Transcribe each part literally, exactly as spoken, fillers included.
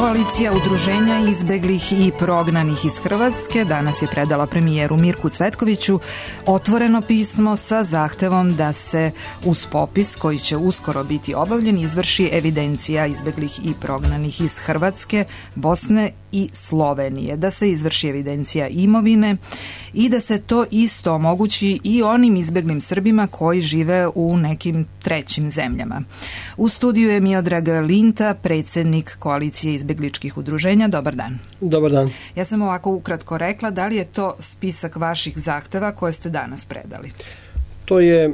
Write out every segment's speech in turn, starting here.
Koalicija udruženja izbeglih i prognanih iz Hrvatske danas je predala premijeru Mirku Cvetkoviću otvoreno pismo sa zahtevom da se uz popis koji će uskoro biti obavljen izvrši evidencija izbeglih i prognanih iz Hrvatske, Bosne i Slovenije, da se izvrši evidencija imovine i da se to isto omogući i onim izbeglim Srbima koji žive u nekim trećim zemljama. U studiju je Miodrag Linta, predsjednik Koalicije izbegličkih udruženja. Dobar dan. Dobar dan. Ja sam ovako ukratko rekla, da li je to spisak vaših zahteva koje ste danas predali? To je e,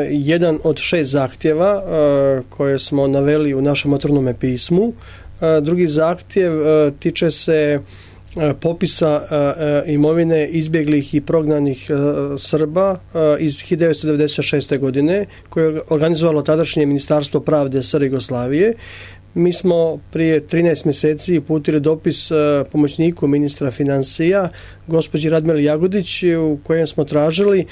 jedan od šest zahtjeva e, koje smo naveli u našem otvorenome pismu. E, drugi zahtjev e, tiče se e, popisa e, imovine izbjeglih i prognanih e, Srba e, iz hiljadu devetsto devedeset šeste. godine koje je organizovalo tadašnje Ministarstvo pravde S R Jugoslavije. Mi smo prije trinaest mjeseci uputili dopis e, pomoćniku ministra financija, gospođi Radmili Jagodić, u kojem smo tražili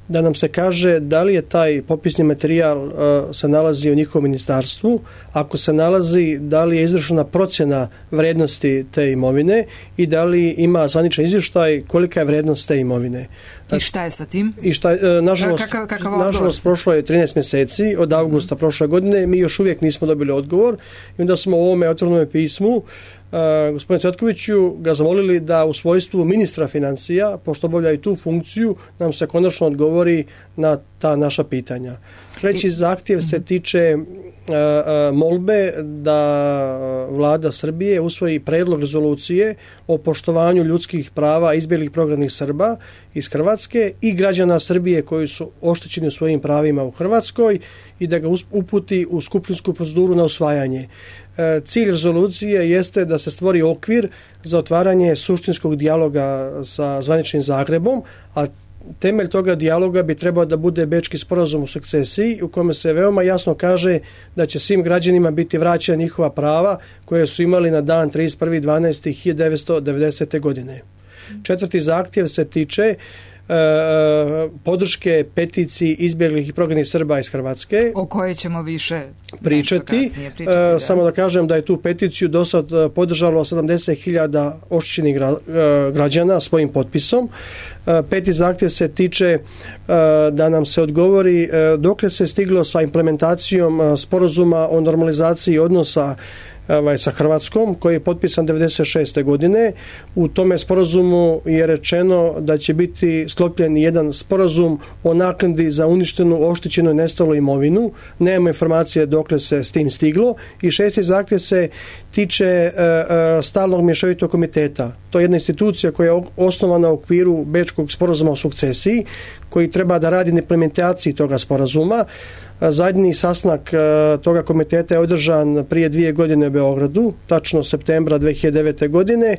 da nam se kaže da li je taj popisni materijal uh, se nalazi u njihovom ministarstvu, ako se nalazi, da li je izvršena procjena vrijednosti te imovine i da li ima zvaničan izvještaj kolika je vrijednost te imovine. I šta je sa tim? I šta, uh, nažalost, kakav, kakav nažalost prošlo je trinaest mjeseci od avgusta prošle godine, mi još uvijek nismo dobili odgovor i onda smo u ovome otvorenom pismu Uh, gospodine Cvetkoviću ga zamolili da u svojstvu ministra financija, pošto obavlja i tu funkciju, nam se konačno odgovori na ta naša pitanja. Treći zahtjev se tiče uh, uh, molbe da vlada Srbije usvoji prijedlog rezolucije o poštovanju ljudskih prava izbjeglih prognanih Srba iz Hrvatske i građana Srbije koji su oštećeni u svojim pravima u Hrvatskoj i da ga uputi u skupštinsku proceduru na usvajanje. Cilj rezolucije jeste da se stvori okvir za otvaranje suštinskog dijaloga sa zvaničnim Zagrebom, a temelj toga dijaloga bi trebao da bude Bečki sporazum o sukcesiji u kome se veoma jasno kaže da će svim građanima biti vraćena njihova prava koje su imali na dan trideset prvi dvanaesti hiljadu devetsto devedesete. godine. Četvrti zahtjev se tiče Uh, podrške peticiji izbjeglih i prognanih Srba iz Hrvatske. O kojoj ćemo više pričati. pričati da. Uh, samo da kažem da je tu peticiju do sad podržalo sedamdeset hiljada oštećenih gra, uh, građana svojim potpisom. Uh, peti zahtjev se tiče uh, da nam se odgovori uh, dokle se stiglo sa implementacijom uh, sporazuma o normalizaciji odnosa sa Hrvatskom, koji je potpisan devedeset šeste. godine. U tome sporazumu je rečeno da će biti sklopljen jedan sporazum o naknadi za uništenu, oštećenu i nestalu imovinu. Nemamo informacije dokle se s tim stiglo. I šesti zahtjev se tiče uh, stalnog mješovitog komiteta. To je jedna institucija koja je osnovana u okviru Bečkog sporazuma o sukcesiji, koji treba da radi na implementaciji toga sporazuma. Zadnji sastanak toga komiteta je održan prije dvije godine u Beogradu, tačno septembra dve hiljade devete. godine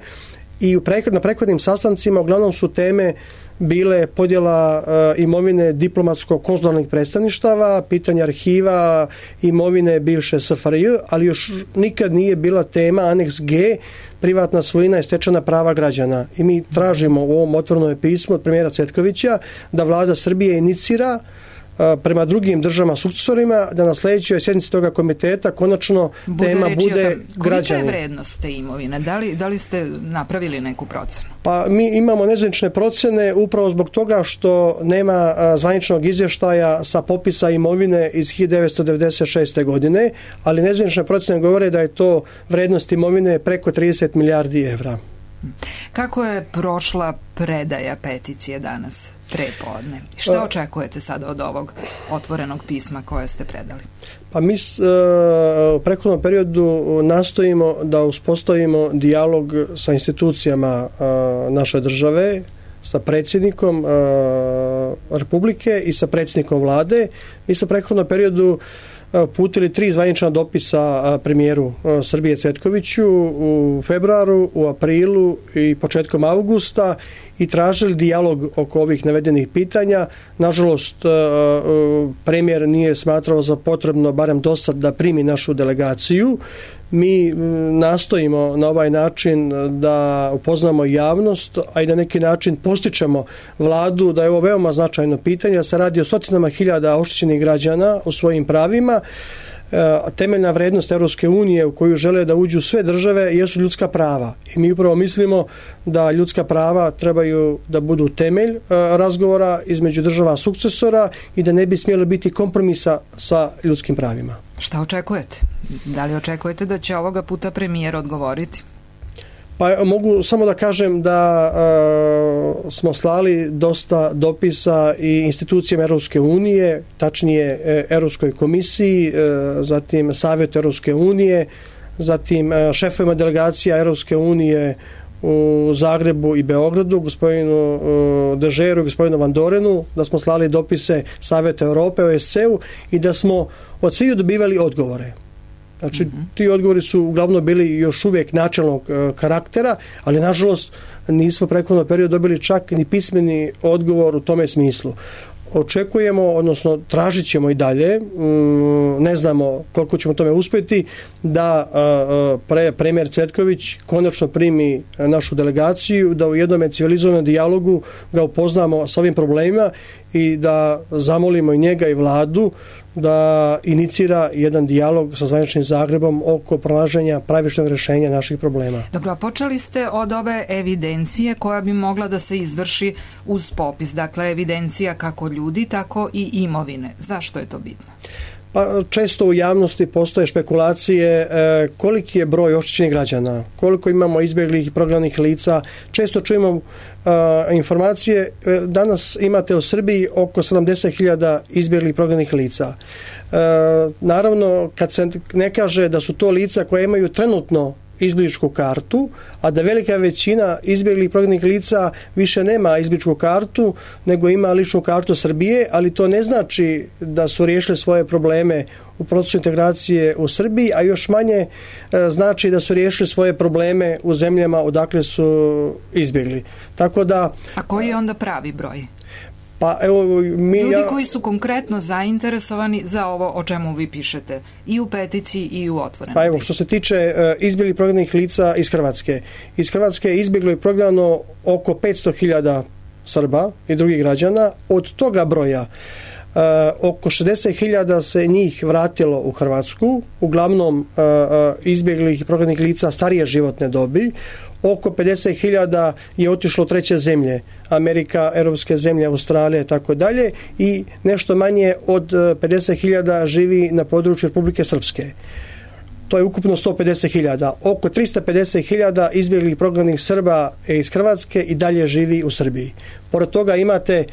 i na prethodnim sastancima uglavnom su teme bile podjela imovine diplomatsko-konzularnih predstavništava, pitanje arhiva, imovine bivše S F R J, ali još nikad nije bila tema aneks G, privatna svojina i stečena prava građana. I mi tražimo u ovom otvorenom pismu od premijera Cvetkovića da vlada Srbije inicira prema drugim državama sukcesorima da na sljedećoj sjednici toga komiteta konačno bude tema bude građani. Kolika je vrednost te imovine? Da li, da li ste napravili neku procenu? Pa mi imamo nezvanične procjene upravo zbog toga što nema zvaničnog izvještaja sa popisa imovine iz hiljadu devetsto devedeset šeste. godine, ali nezvanične procjene govore da je to vrednost imovine preko trideset milijardi evra. Kako je prošla predaja peticije danas, prepodne? Šta očekujete sada od ovog otvorenog pisma koje ste predali? Pa mi u prethodnom periodu nastojimo da uspostavimo dijalog sa institucijama naše države, sa predsjednikom Republike i sa predsjednikom vlade. Mi smo u prethodnom periodu uputili tri zvanična dopisa premijeru Srbije Cvetkoviću u februaru, u aprilu i početkom avgusta i tražili dijalog oko ovih navedenih pitanja. Nažalost, premijer nije smatrao za potrebno, barem do sad, da primi našu delegaciju. Mi nastojimo na ovaj način da upoznamo javnost, a i na neki način postičemo vladu da je ovo veoma značajno pitanje, da se radi o stotinama hiljada oštećenih građana u svojim pravima temeljna vrednost Europske unije u koju žele da uđu sve države jesu ljudska prava. I mi upravo mislimo da ljudska prava trebaju da budu temelj razgovora između država sukcesora i da ne bi smjelo biti kompromisa sa ljudskim pravima. Šta očekujete? Da li očekujete da će ovoga puta premijer odgovoriti? Pa mogu samo da kažem da e, smo slali dosta dopisa i institucijama Europske unije, tačnije e, Europskoj komisiji, e, zatim Savjetu Europske unije, zatim e, šefovima delegacija Europske unije u Zagrebu i Beogradu, gospodinu e, Dežeru i gospodinu Van Dorenu, da smo slali dopise Savjeta Europe, O S C E-u i da smo od svih dobivali odgovore. Znači, ti odgovori su uglavnom bili još uvijek načelnog e, karaktera, ali nažalost nismo prethodno period dobili čak ni pismeni odgovor u tome smislu. Očekujemo, odnosno tražit ćemo i dalje, mm, ne znamo koliko ćemo tome uspjeti, da e, pre, premijer Cvetković konačno primi našu delegaciju, da u jednom civilizovanom dijalogu ga upoznamo s ovim problemima i da zamolimo i njega i vladu da inicira jedan dijalog sa zvaničnim Zagrebom oko pronalaženja pravičnog rješenja naših problema. Dobro, a počeli ste od ove evidencije koja bi mogla da se izvrši uz popis. Dakle, evidencija kako ljudi, tako i imovine. Zašto je to bitno? Pa često u javnosti postoje špekulacije e, koliki je broj oštećenih građana, koliko imamo izbjeglih i prognanih lica. Često čujemo e, informacije, e, danas imate u Srbiji oko sedamdeset hiljada izbjeglih i prognanih lica. E, naravno, kad se ne kaže da su to lica koje imaju trenutno izbjegličku kartu, a da velika većina izbjeglih i prognanih lica više nema izbjegličku kartu, nego ima ličnu kartu Srbije, ali to ne znači da su riješili svoje probleme u procesu integracije u Srbiji, a još manje e, znači da su riješili svoje probleme u zemljama odakle su izbjegli. Tako da, a koji je onda pravi broj? Pa, evo, mi, Ljudi ja... koji su konkretno zainteresovani za ovo o čemu vi pišete i u peticiji i u otvorenom. Pa evo, što se tiče uh, izbjeglih prognanih lica iz Hrvatske. Iz Hrvatske je izbjeglo i prognano oko petsto hiljada Srba i drugih građana. Od toga broja Uh, oko šezdeset hiljada se njih vratilo u Hrvatsku, uglavnom uh, uh, izbjeglih i prognanih lica starije životne dobi. Oko pedeset hiljada je otišlo u treće zemlje, Amerika, europske zemlje, Australija i tako dalje, i nešto manje od pedeset hiljada živi na području Republike Srpske. To je ukupno sto pedeset hiljada. Oko tristo pedeset hiljada izbjeglih i prognanih Srba iz Hrvatske i dalje živi u Srbiji. Pored toga imate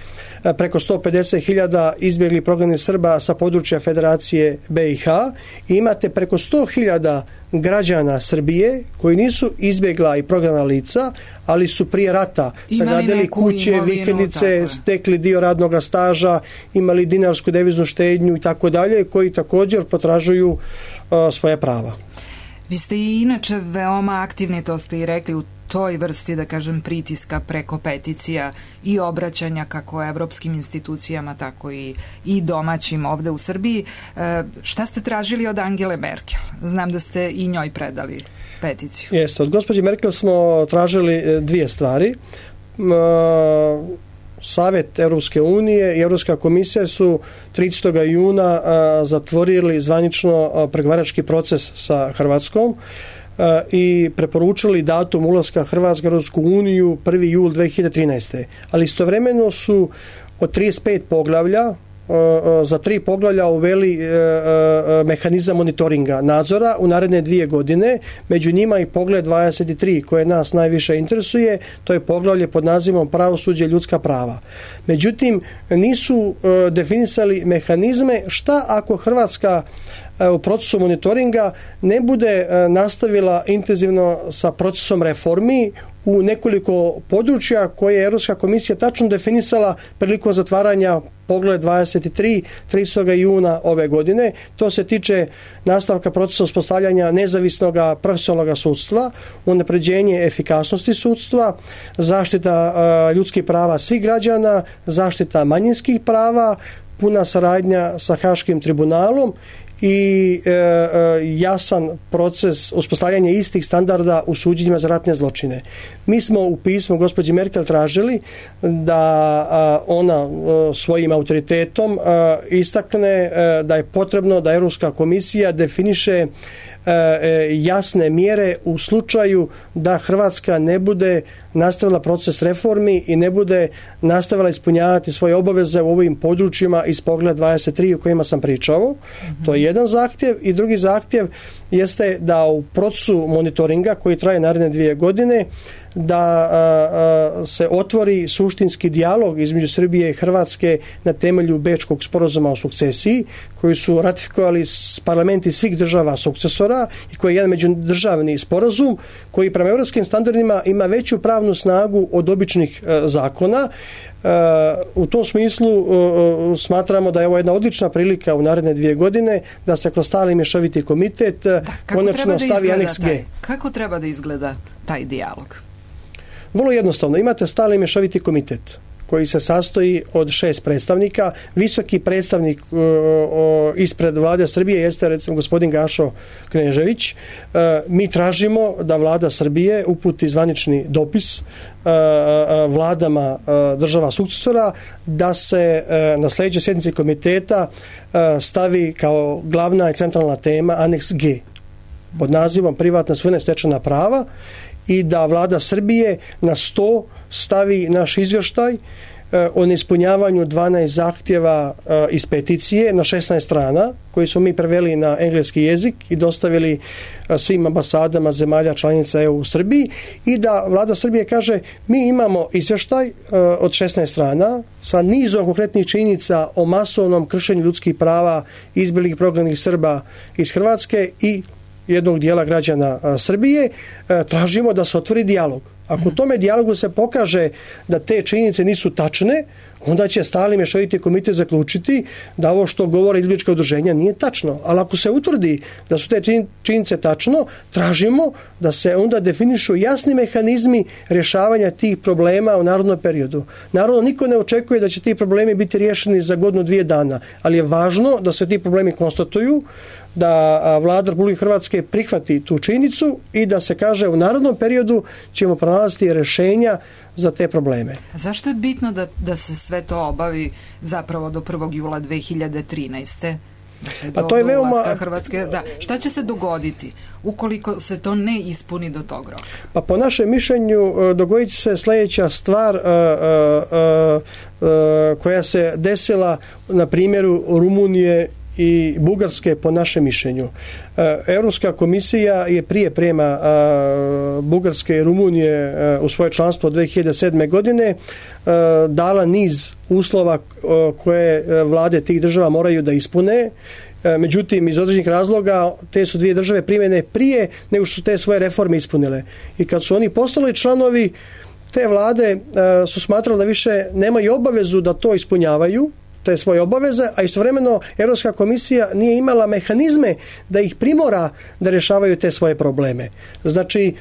preko sto pedeset hiljada izbjeglih i prognanih Srba sa područja Federacije B i H i imate preko sto hiljada građana Srbije koji nisu izbjegla i prognana lica, ali su prije rata sagradili kuće, imovinu, vikendice, stekli dio radnog staža, imali dinarsku deviznu štednju i tako dalje, koji također potražuju uh, svoje prava. Vi ste i inače veoma aktivni, to ste i rekli, u toj vrsti, da kažem, pritiska preko peticija i obraćanja kako evropskim institucijama, tako i, i domaćim ovde u Srbiji. E, šta ste tražili od Angele Merkel? Znam da ste i njoj predali peticiju. Jeste, od gospođe Merkel smo tražili dvije stvari. Savjet Europske unije i Europska komisija su tridesetog juna zatvorili zvanično pregovarački proces sa Hrvatskom i preporučili datum ulaska Hrvatske u Europsku uniju prvi jul dve hiljade trinaeste. Ali istovremeno su od trideset pet poglavlja za tri poglavlja uveli mehanizam monitoringa nadzora u naredne dvije godine, među njima i poglavlje dvadeset tri koje nas najviše interesuje, to je poglavlje pod nazivom pravosuđe i ljudska prava. Međutim, nisu definisali mehanizme šta ako Hrvatska u procesu monitoringa ne bude nastavila intenzivno sa procesom reformi u nekoliko područja koje je Europska komisija tačno definisala prilikom zatvaranja poglavlja dvadeset tri tridesetog juna ove godine. To se tiče nastavka procesa uspostavljanja nezavisnog profesionalnog sudstva, unapređenje efikasnosti sudstva, zaštita uh, ljudskih prava svih građana, zaštita manjinskih prava, puna saradnja sa Haškim tribunalom i e, jasan proces uspostavljanja istih standarda u suđenjima za ratne zločine. Mi smo u pismu gospođi Merkel tražili da a, ona a, svojim autoritetom a, istakne a, da je potrebno da Europska komisija definiše jasne mjere u slučaju da Hrvatska ne bude nastavila proces reformi i ne bude nastavila ispunjavati svoje obaveze u ovim područjima iz Poglavlja dvadeset tri o kojima sam pričao. Mm-hmm. To je jedan zahtjev i drugi zahtjev jeste da u procesu monitoringa koji traje naredne dvije godine da a, a, se otvori suštinski dijalog između Srbije i Hrvatske na temelju Bečkog sporazuma o sukcesiji koji su ratifikovali parlamenti svih država sukcesora i koji je jedan međudržavni sporazum koji prema europskim standardima ima veću pravnu snagu od običnih a, zakona. A, u tom smislu a, smatramo da je ovo jedna odlična prilika u naredne dvije godine da se kroz stalni mješoviti komitet da, konačno stavi aneks G. Kako treba da izgleda taj dijalog? Vrlo jednostavno, imate stalni mješoviti komitet koji se sastoji od šest predstavnika. Visoki predstavnik o, o, ispred vlade Srbije jeste recimo gospodin Gašo Knežević. E, mi tražimo da vlada Srbije uputi zvanični dopis e, e, vladama e, država sukcesora da se e, na sljedećoj sjednici komiteta e, stavi kao glavna i centralna tema aneks G pod nazivom privatna svojina stečena prava i da vlada Srbije na sto stavi naš izvještaj o neispunjavanju dvanaest zahtjeva iz peticije na šesnaest strana koji smo mi preveli na engleski jezik i dostavili svim ambasadama zemalja članica E U u Srbiji i da vlada Srbije kaže mi imamo izvještaj od šesnaest strana sa nizom konkretnih činjenica o masovnom kršenju ljudskih prava izbjeglih prognanih Srba iz Hrvatske i jednog dijela građana a, Srbije, a, tražimo da se otvori dijalog. Ako u tome dijalogu se pokaže da te činjenice nisu tačne, onda će stalni mješoviti komitet zaključiti da ovo što govore izbjeglička udruženja nije tačno. Ali ako se utvrdi da su te činjenice tačno, tražimo da se onda definišu jasni mehanizmi rješavanja tih problema u narodnom periodu. Naravno, niko ne očekuje da će ti problemi biti riješeni za godinu dvije dana, ali je važno da se ti problemi konstatuju, da vlada Republike Hrvatske prihvati tu činjenicu i da se kaže u narodnom periodu ćemo pronalaziti rješenja za te probleme. A zašto je bitno da, da se sve to obavi zapravo do prvog jula dve hiljade trinaeste? Dakle, pa to je veoma... Hrvatske, da. Šta će se dogoditi ukoliko se to ne ispuni do tog roka? Pa po našem mišljenju dogodit će se sljedeća stvar uh, uh, uh, koja se desila na primjeru Rumunije i Bugarske po našem mišljenju. Europska komisija je prije prema Bugarske i Rumunije u svoje članstvo dve hiljade sedme. godine dala niz uslova koje vlade tih država moraju da ispune. Međutim, iz određenih razloga te su dvije države primjene prije nego što su te svoje reforme ispunile. I kad su oni postali članovi, te vlade su smatrali da više nemaju obavezu da to ispunjavaju, te svoje obaveze, a istovremeno Europska komisija nije imala mehanizme da ih primora da rješavaju te svoje probleme. Znači,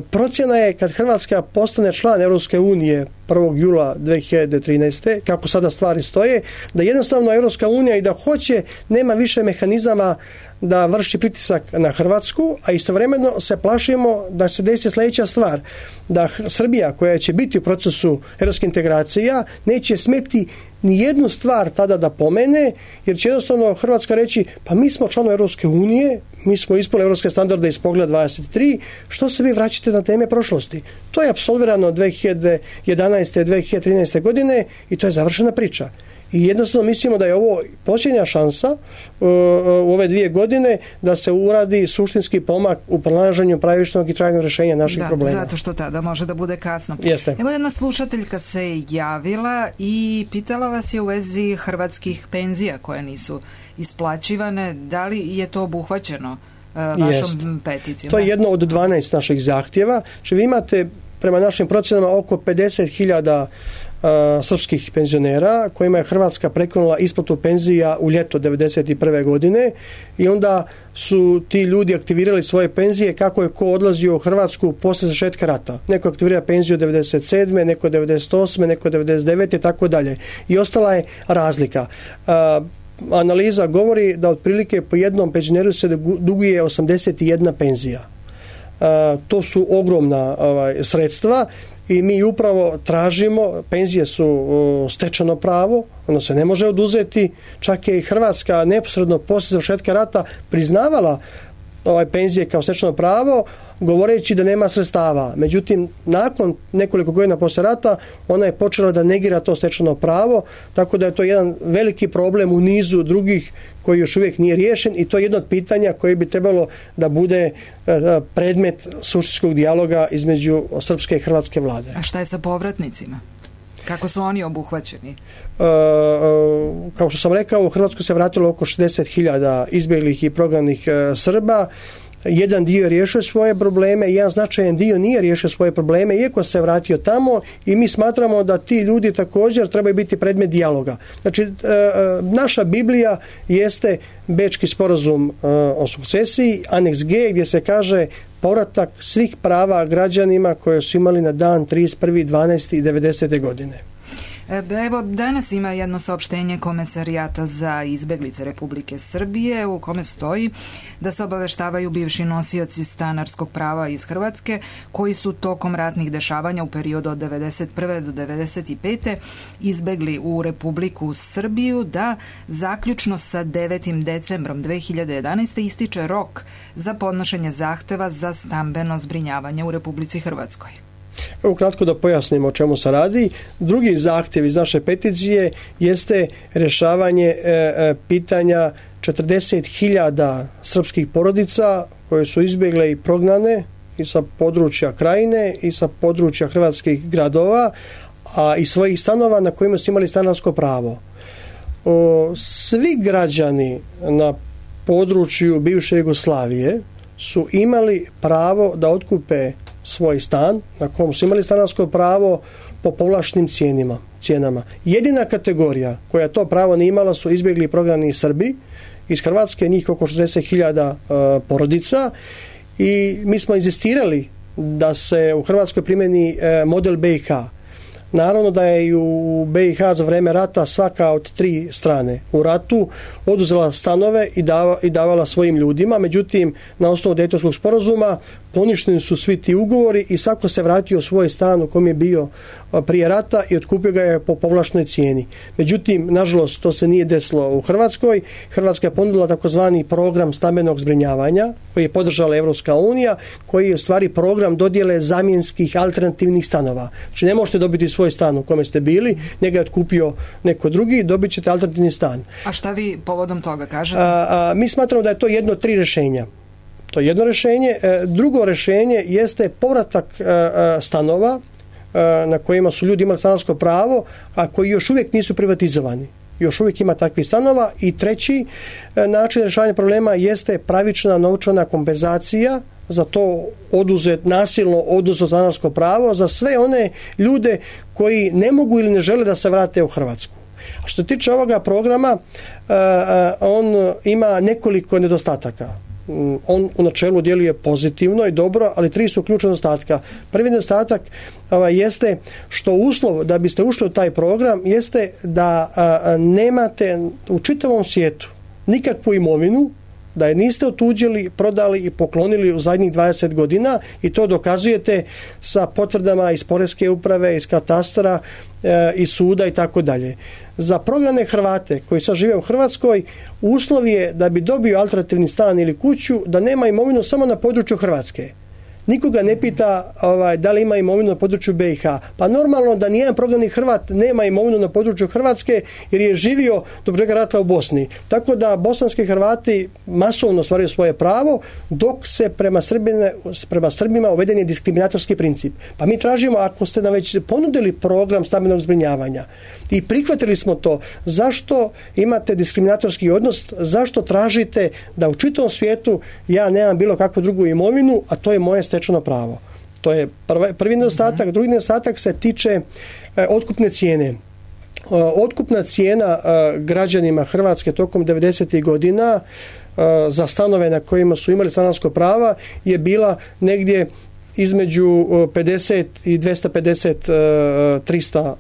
procjena je kad Hrvatska postane član Europske unije prvog jula dve hiljade trinaeste. kako sada stvari stoje, da jednostavno Europska unija i da hoće, nema više mehanizama da vrši pritisak na Hrvatsku, a istovremeno se plašimo da se desi sljedeća stvar, da Srbija koja će biti u procesu europske integracija neće smjeti ni jednu stvar tada da pomene, jer će jednostavno Hrvatska reći pa mi smo članovi Europske unije, mi smo ispunili europske standarde iz Poglavlja dvadeset tri, što se vi vraćate na teme prošlosti? To je apsolvirano dve hiljade jedanaeste. dve hiljade trinaeste. godine i to je završena priča. I jednostavno mislimo da je ovo posljednja šansa uh, u ove dvije godine da se uradi suštinski pomak u pronalaženju pravičnog i trajnog rješenja naših da, problema. Zato što tada može da bude kasno. Jeste. Evo jedna slušateljka se javila i pitala vas je u vezi hrvatskih penzija koje nisu isplaćivane. Da li je to obuhvaćeno uh, vašom Jest. peticijom? To je jedno od dvanaest naših zahtjeva. Znači vi imate prema našim procjenama oko pedeset hiljada Uh, srpskih penzionera kojima je Hrvatska prekinula isplatu penzija u ljeto devedeset prve. godine i onda su ti ljudi aktivirali svoje penzije kako je ko odlazio u Hrvatsku poslije završetka rata. Neko aktivira penziju devedeset sedme. neko devedeset osme. neko devedeset devete. tako dalje. I ostala je razlika. Uh, analiza govori da otprilike po jednom penzioneru se duguje osamdeset jedna penzija. To su ogromna ovaj, sredstva i mi upravo tražimo, penzije su stečeno pravo, ono se ne može oduzeti, čak je i Hrvatska neposredno poslije završetka rata priznavala ovaj penzije kao stečeno pravo, govoreći da nema sredstava. Međutim, nakon nekoliko godina poslije rata ona je počela da negira to stečeno pravo, tako da je to jedan veliki problem u nizu drugih koji još uvijek nije riješen i to je jedno od pitanja koje bi trebalo da bude predmet suštinskog dijaloga između srpske i hrvatske vlade. A šta je sa povratnicima? Kako su oni obuhvaćeni? E, kao što sam rekao, u Hrvatsku se vratilo oko šezdeset hiljada izbjeglih i prognanih e, Srba. Jedan dio je riješio svoje probleme, jedan značajan dio nije riješio svoje probleme, iako se vratio tamo i mi smatramo da ti ljudi također trebaju biti predmet dijaloga. Znači, e, naša Biblija jeste Bečki sporazum e, o sukcesiji, aneks G, gdje se kaže povratak svih prava građanima koje su imali na dan trideset prvi dvanaesti devedesete godine. Evo, danas ima jedno saopštenje Komesarijata za izbeglice Republike Srbije u kome stoji da se obaveštavaju bivši nosioci stanarskog prava iz Hrvatske koji su tokom ratnih dešavanja u periodu od devedeset prve do devedeset pete izbegli u Republiku Srbiju da zaključno sa devetim decembrom dve hiljade jedanaeste ističe rok za podnošenje zahteva za stambeno zbrinjavanje u Republici Hrvatskoj. Ukratko da pojasnimo o čemu se radi. Drugi zahtjev iz naše peticije jeste rješavanje e, pitanja četrdeset hiljada srpskih porodica koje su izbjegle i prognane i sa područja Krajine i sa područja hrvatskih gradova, a i svojih stanova na kojima su imali stanarsko pravo. O, svi građani na području bivše Jugoslavije su imali pravo da otkupe svoj stan na kom su imali stanarsko pravo po povlaštenim cijenima, cijenama. Jedina kategorija koja to pravo nije imala su izbjegli i prognani Srbi iz Hrvatske, njih oko šezdeset hiljada uh, porodica i mi smo inzistirali da se u Hrvatskoj primjeni uh, model B i H. Naravno da je i u B i H za vrijeme rata svaka od tri strane u ratu oduzela stanove i, dava, i davala svojim ljudima, međutim na osnovu Dejtonskog sporazuma poništeni su svi ti ugovori i svako se vratio u svoj stan u kom je bio prije rata i otkupio ga je po povlaštenoj cijeni. Međutim, nažalost, to se nije desilo u Hrvatskoj. Hrvatska je ponudila takozvani program stambenog zbrinjavanja koji je podržala Evropska unija, koji je u stvari program dodjele zamjenskih alternativnih stanova. Znači ne možete dobiti svoj stan u kome ste bili, njega je otkupio neko drugi, dobit ćete alternativni stan. A šta vi povodom toga kažete? A, a, mi smatramo da je to jedno od tri rješenja. To je jedno rješenje. Drugo rješenje jeste povratak stanova na kojima su ljudi imali stanarsko pravo, a koji još uvijek nisu privatizovani. Još uvijek ima takvih stanova. I treći način rješavanja problema jeste pravična novčana kompenzacija za to oduzet, nasilno oduzeto stanarsko pravo za sve one ljude koji ne mogu ili ne žele da se vrate u Hrvatsku. A što se tiče ovoga programa, on ima nekoliko nedostataka. On u načelu djeluje pozitivno i dobro, ali tri su ključna nedostatka. Prvi nedostatak ovaj, jeste što uslov da biste ušli u taj program jeste da a, nemate u čitavom svijetu nikakvu imovinu, da je niste otuđili, prodali i poklonili u zadnjih dvadeset godina i to dokazujete sa potvrdama iz Poreske uprave, iz katastra, e, iz suda i tako dalje. Za prognane Hrvate koji sad žive u Hrvatskoj, uslov je da bi dobio alternativni stan ili kuću da nema imovinu samo na području Hrvatske. Nikoga ne pita ovaj, da li ima imovinu na području B i H. Pa normalno da nijedan prognani Hrvat nema imovinu na području Hrvatske jer je živio do početka rata u Bosni. Tako da bosanski Hrvati masovno ostvaruju svoje pravo, dok se prema, Srbine, prema Srbima uveden je diskriminatorski princip. Pa mi tražimo, ako ste nam već ponudili program stambenog zbrinjavanja i prihvatili smo to, zašto imate diskriminatorski odnos, zašto tražite da u čitavom svijetu ja nemam bilo kakvu drugu imovinu, a to je moje stečeno pravo. To je prvi, prvi nedostatak. Mm-hmm. Drugi nedostatak se tiče e, otkupne cijene. E, otkupna cijena e, građanima Hrvatske tokom devedesetih godina e, za stanove na kojima su imali stanarsko prava je bila negdje između pedeset i dvesta pedeset, trista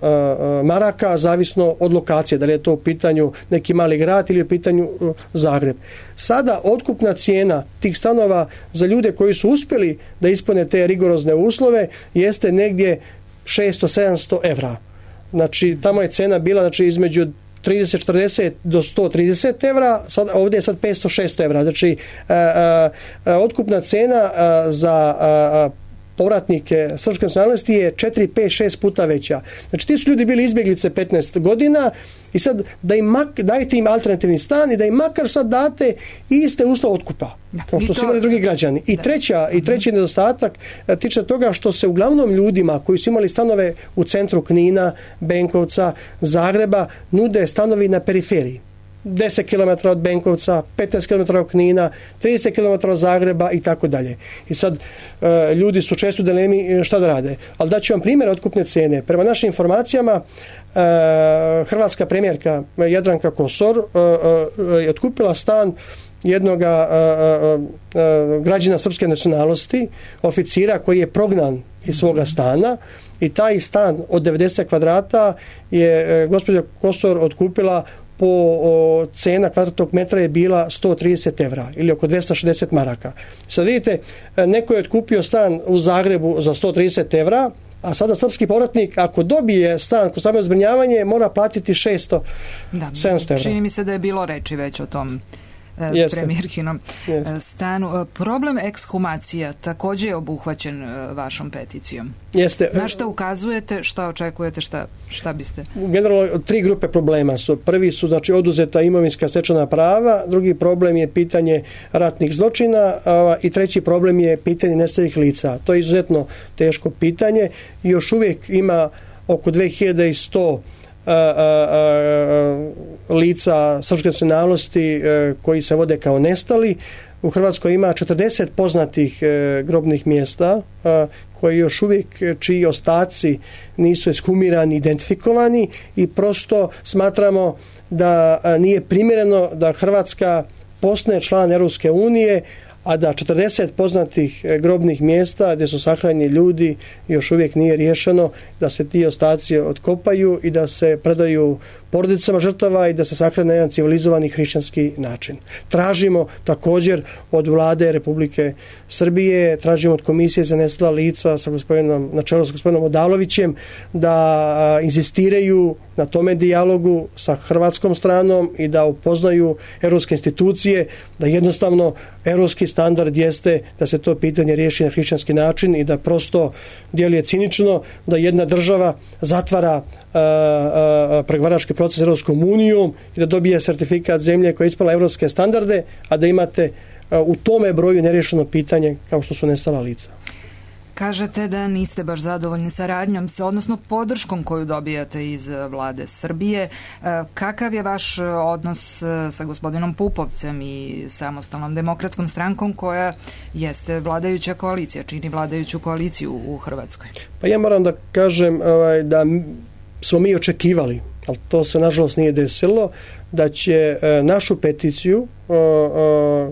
maraka, zavisno od lokacije, da li je to u pitanju neki mali grad ili u pitanju Zagreb. Sada otkupna cijena tih stanova za ljude koji su uspjeli da ispune te rigorozne uslove jeste negdje šesto do sedamsto evra. Znači, tamo je cena bila znači, između trideset četrdeset do sto trideset evra, sad, ovdje je sad petsto šesto evra. Znači, a, a, a, otkupna cena a, za a, a, povratnike srpske nacionalnosti je četiri, pet, šest puta veća. Znači, ti su ljudi bili izbjeglice petnaest godina i sad da im mak, dajte im alternativni stan i da im makar sad date iste uslove otkupa, kao što su imali drugi građani. I, treća, i treći nedostatak tiče toga što se uglavnom ljudima koji su imali stanove u centru Knina, Benkovca, Zagreba, nude stanovi na periferiji. deset kilometara od Benkovca, petnaest kilometara od Knina, trideset kilometara od Zagreba i tako dalje. I sad e, ljudi su često u dilemi šta da rade. Ali daću vam primjer otkupne cene. Prema našim informacijama e, hrvatska premijerka Jadranka Kosor e, e, je otkupila stan jednog građana srpske nacionalnosti, oficira koji je prognan iz svoga stana i taj stan od devedeset kvadrata je e, gospođa Kosor otkupila po o, cena kvadratnog metra je bila sto trideset evra ili oko dvesta šezdeset maraka. Sad vidite, neko je otkupio stan u Zagrebu za sto trideset evra, a sada srpski povratnik ako dobije stan kod stambeno zbrinjavanje mora platiti šesto do sedamsto evra. Čini mi se da je bilo reči već o tom Jeste. premijerkinom Jeste. stanu. Problem ekshumacija također je obuhvaćen vašom peticijom. Jeste. Na šta ukazujete, šta očekujete, šta, šta biste? Generalno tri grupe problema su. Prvi su znači oduzeta imovinska stečena prava, drugi problem je pitanje ratnih zločina a, i treći problem je pitanje nestalih lica. To je izuzetno teško pitanje i još uvijek ima oko dve hiljade sto A, a, a, lica srpske nacionalnosti a, koji se vode kao nestali. U Hrvatskoj ima četrdeset poznatih a, grobnih mjesta a, koji još uvijek čiji ostaci nisu ekshumirani, identifikovani i prosto smatramo da a, nije primjereno da Hrvatska postane član Europske unije, a da četrdeset poznatih grobnih mjesta gdje su sahranjeni ljudi još uvijek nije riješeno, da se ti ostaci otkopaju i da se predaju porodicama žrtava i da se sahrane na jedan civilizovani hrišćanski način. Tražimo također od vlade Republike Srbije, tražimo od Komisije za nestala lica sa gospodinom, na čelu sa gospodinom Odalovićem da inzistiraju na tome dijalogu sa hrvatskom stranom i da upoznaju europske institucije, da jednostavno europski standard jeste da se to pitanje riješi na hrišćanski način i da prosto djeluje cinično da jedna država zatvara pregovarački proces Europskom unijom i da dobije sertifikat zemlje koja je ispunila europske standarde, a da imate u tome broju neriješeno pitanje kao što su nestala lica. Kažete da niste baš zadovoljni saradnjom, odnosno podrškom koju dobijate iz vlade Srbije. Kakav je vaš odnos sa gospodinom Pupovcem i Samostalnom demokratskom strankom koja jeste vladajuća koalicija, čini vladajuću koaliciju u Hrvatskoj? Pa ja moram da kažem ovaj, da smo mi očekivali, ali to se nažalost nije desilo, da će e, našu peticiju e, e,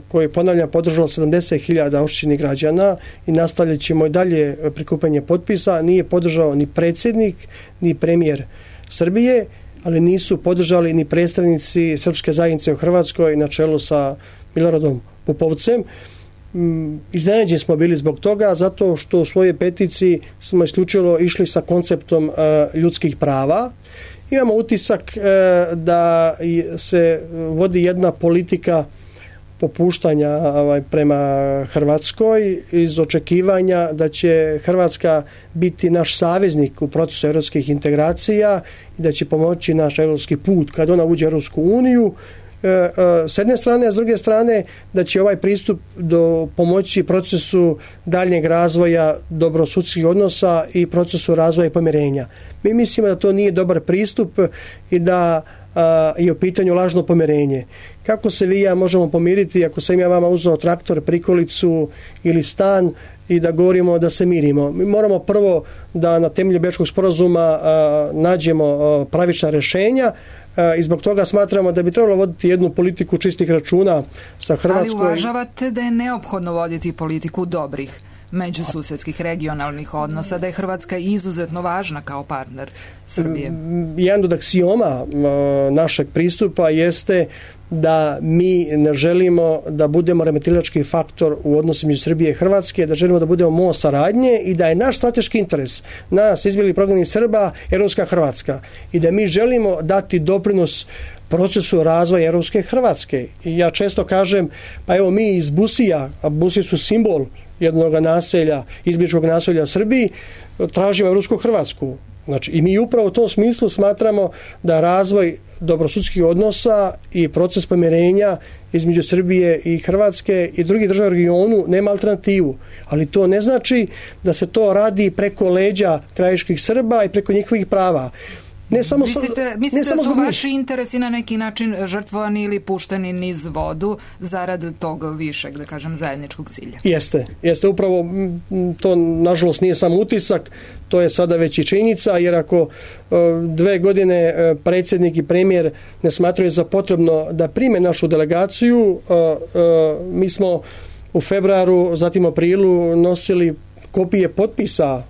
koju ponavljam podržalo sedamdeset hiljada oštećenih građana i nastavljat ćemo i dalje prikupljanje potpisa, nije podržao ni predsjednik ni premijer Srbije, ali nisu podržali ni predstavnici srpske zajednice u Hrvatskoj na čelu sa Miloradom Pupovcem. Iznenađeni smo bili zbog toga zato što u svojoj peticiji smo isključivo išli sa konceptom e, ljudskih prava. Imamo utisak e, da se vodi jedna politika popuštanja ovaj, prema Hrvatskoj iz očekivanja da će Hrvatska biti naš saveznik u procesu europskih integracija i da će pomoći naš europski put kad ona uđe u Europsku uniju. S jedne strane, a s druge strane da će ovaj pristup do pomoći procesu daljnjeg razvoja dobrosudskih odnosa i procesu razvoja i pomirenja. Mi mislimo da to nije dobar pristup i da a, je u pitanju lažno pomirenje. Kako se vi i ja možemo pomiriti ako sam ja vama uzeo traktor, prikolicu ili stan i da govorimo da se mirimo? Mi moramo prvo da na temelju Bečkog sporazuma a, nađemo a, pravična rješenja i zbog toga smatramo da bi trebalo voditi jednu politiku čistih računa sa Hrvatskoj. Ali uvažavate da je neophodno voditi politiku dobrih međususedskih regionalnih odnosa, da je Hrvatska izuzetno važna kao partner Srbije? Jedan od aksioma našeg pristupa jeste da mi ne želimo da budemo remetilački faktor u odnosu među Srbije i Hrvatske, da želimo da budemo most saradnje i da je naš strateški interes nas izbjeglih prognanih Srba europska Hrvatska i da mi želimo dati doprinos procesu razvoja europske Hrvatske. I ja često kažem, pa evo mi iz Busija, a Busije su simbol jednog naselja, izbjegličkog naselja u Srbiji, tražimo europsku Hrvatsku. Znači, i mi upravo u tom smislu smatramo da razvoj dobrosusjedskih odnosa i proces pomirenja između Srbije i Hrvatske i drugih država u regionu nema alternativu. Ali to ne znači da se to radi preko leđa krajiških Srba i preko njihovih prava. Ne samo, mislite mislite ne samo da su vaši interesi na neki način žrtvovani ili pušteni niz vodu zarad tog višeg, da kažem, zajedničkog cilja? Jeste, jeste upravo to, nažalost, nije samo utisak, to je sada već i činjenica, jer ako dve godine predsjednik i premijer ne smatraju za potrebno da prime našu delegaciju, mi smo u februaru, zatim u aprilu nosili kopije potpisa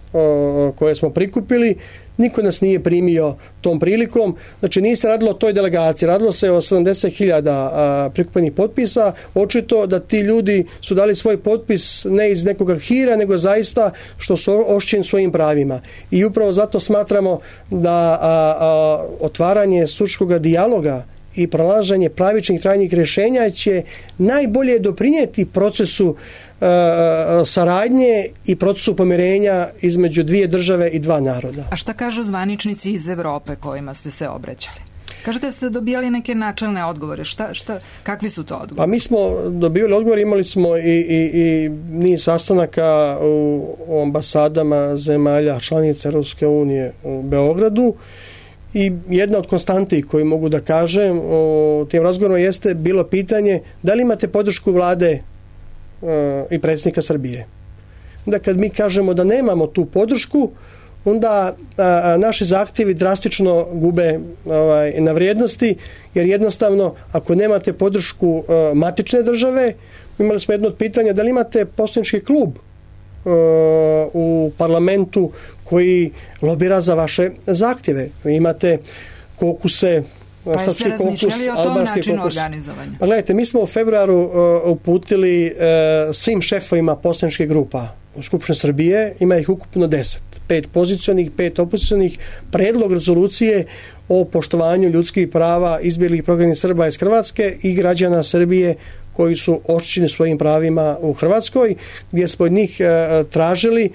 koje smo prikupili. Niko nas nije primio tom prilikom. Znači, nije se radilo o toj delegaciji. Radilo se o sedamdeset hiljada prikupljenih potpisa. Očito da ti ljudi su dali svoj potpis ne iz nekog hira, nego zaista što su oštećeni svojim pravima. I upravo zato smatramo da a, a, otvaranje suškoga dijaloga i pronalaženje pravičnih trajnih rješenja će najbolje doprinijeti procesu e, saradnje i procesu pomirenja između dvije države i dva naroda. A šta kažu zvaničnici iz Europe kojima ste se obraćali? Kažete da ste dobijali neke načelne odgovore. Šta, šta, kakvi su to odgovori? Pa mi smo dobili odgovor, imali smo i, i, i niz sastanaka u, u ambasadama zemalja članica Europske unije u Beogradu. I jedna od konstanti koju mogu da kažem o tim razgovorima jeste bilo pitanje da li imate podršku vlade e, i predsjednika Srbije. Onda kad mi kažemo da nemamo tu podršku, onda a, naši zahtjevi drastično gube ovaj, na vrijednosti, jer jednostavno ako nemate podršku a, matične države, imali smo jedno od pitanja da li imate poslanički klub a, u parlamentu koji lobira za vaše zahtjeve. Vi imate kokuse, pa jeste razmišljali o tom načinu organizovanja? Pa gledajte, mi smo u februaru uh, uputili uh, svim šefovima poslaničkih grupa u Skupštini Srbije, ima ih ukupno deset. Pet pozicionih, pet opozicijonih, predlog rezolucije o poštovanju ljudskih prava izbjeglih prognanih Srba iz Hrvatske i građana Srbije koji su oštećeni svojim pravima u Hrvatskoj, gdje smo od njih uh, tražili,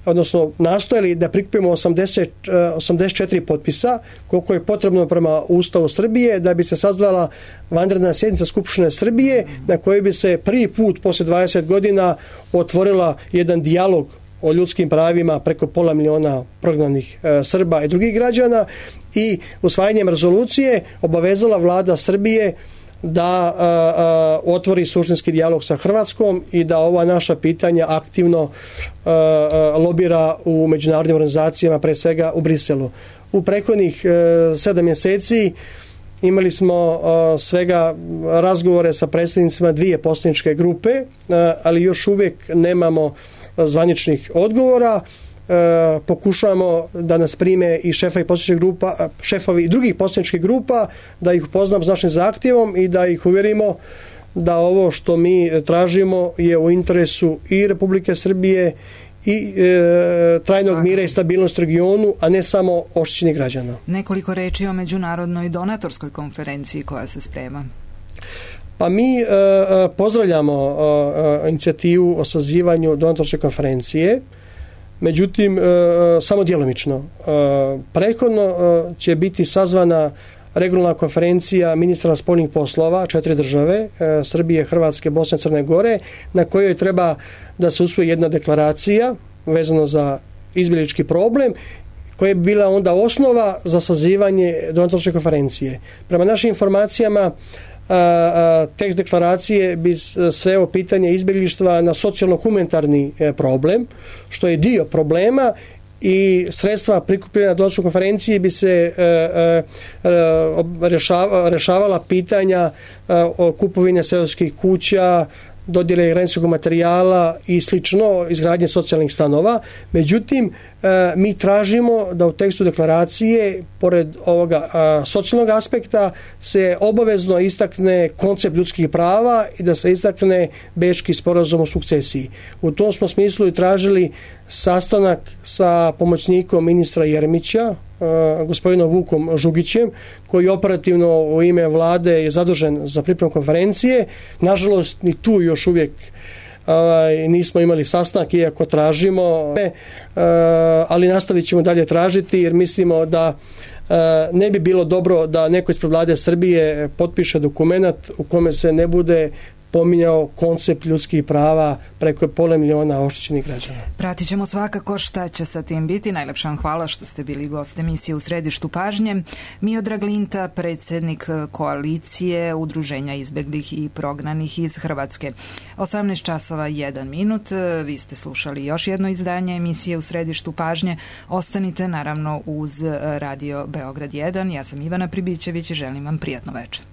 odnosno nastojali da prikupimo osamdeset, osamdeset četiri potpisa, koliko je potrebno prema Ustavu Srbije, da bi se sazvala vanredna sjednica Skupštine Srbije, na kojoj bi se prvi put poslije dvadeset godina otvorila jedan dijalog o ljudskim pravima preko pola miliona prognanih e, Srba i drugih građana, i usvajanjem rezolucije obavezala vlada Srbije da a, a, otvori suštinski dijalog sa Hrvatskom i da ova naša pitanja aktivno a, a, lobira u međunarodnim organizacijama, pre svega u Briselu. U prethodnih sedam mjeseci imali smo a, svega razgovore sa predstavnicima dvije poslaničke grupe, a, ali još uvijek nemamo zvaničnih odgovora. E, pokušavamo da nas prime i šefovi poslaničkih grupa, šefovi drugih poslaničkih grupa, da ih upoznam s našim zahtjevom i da ih uvjerimo da ovo što mi tražimo je u interesu i Republike Srbije i e, trajnog Svaka. mira i stabilnosti u regionu, a ne samo oštećenih građana. Nekoliko reči o međunarodnoj donatorskoj konferenciji koja se sprema. Pa mi e, pozdravljamo e, inicijativu o sazivanju donatorske konferencije. Međutim, e, samo djelomično. E, prethodno e, će biti sazvana regionalna konferencija ministra spoljnih poslova četiri države, e, Srbije, Hrvatske, Bosne i Crne Gore, na kojoj treba da se usvoji jedna deklaracija vezano za izbjeglički problem, koja bi bila onda osnova za sazivanje donatorske konferencije. Prema našim informacijama, A, a, tekst deklaracije bi sveo pitanje izbjeglištva na socijalno-humanitarni problem, što je dio problema, i sredstva prikupljena na donatorskoj konferenciji bi se e, e, rešava, rešavala pitanja e, o kupovine seoskih kuća, dodjele građevinskog materijala i slično, izgradnje socijalnih stanova. Međutim, mi tražimo da u tekstu deklaracije, pored ovoga socijalnog aspekta, se obavezno istakne koncept ljudskih prava i da se istakne Bečki sporazum o sukcesiji. U tom smo smislu i tražili sastanak sa pomoćnikom ministra Jeremića, gospodinom Vukom Žugićem, koji operativno u ime vlade je zadužen za pripremu konferencije. Nažalost, ni tu još uvijek nismo imali sastanak, iako tražimo, ali nastavit ćemo dalje tražiti, jer mislimo da ne bi bilo dobro da neko ispred vlade Srbije potpiše dokument u kome se ne bude pominjao koncept ljudskih prava preko pola miliona oštećenih građana. Pratit ćemo svakako šta će sa tim biti. Najlepša vam hvala što ste bili gost emisije U središtu pažnje. Miodrag Linta, predsjednik koalicije Udruženja izbeglih i prognanih iz Hrvatske. osamnaest časova jedan minut. Vi ste slušali još jedno izdanje emisije U središtu pažnje. Ostanite naravno uz Radio Beograd jedan. Ja sam Ivana Pribićević i želim vam prijatno večer.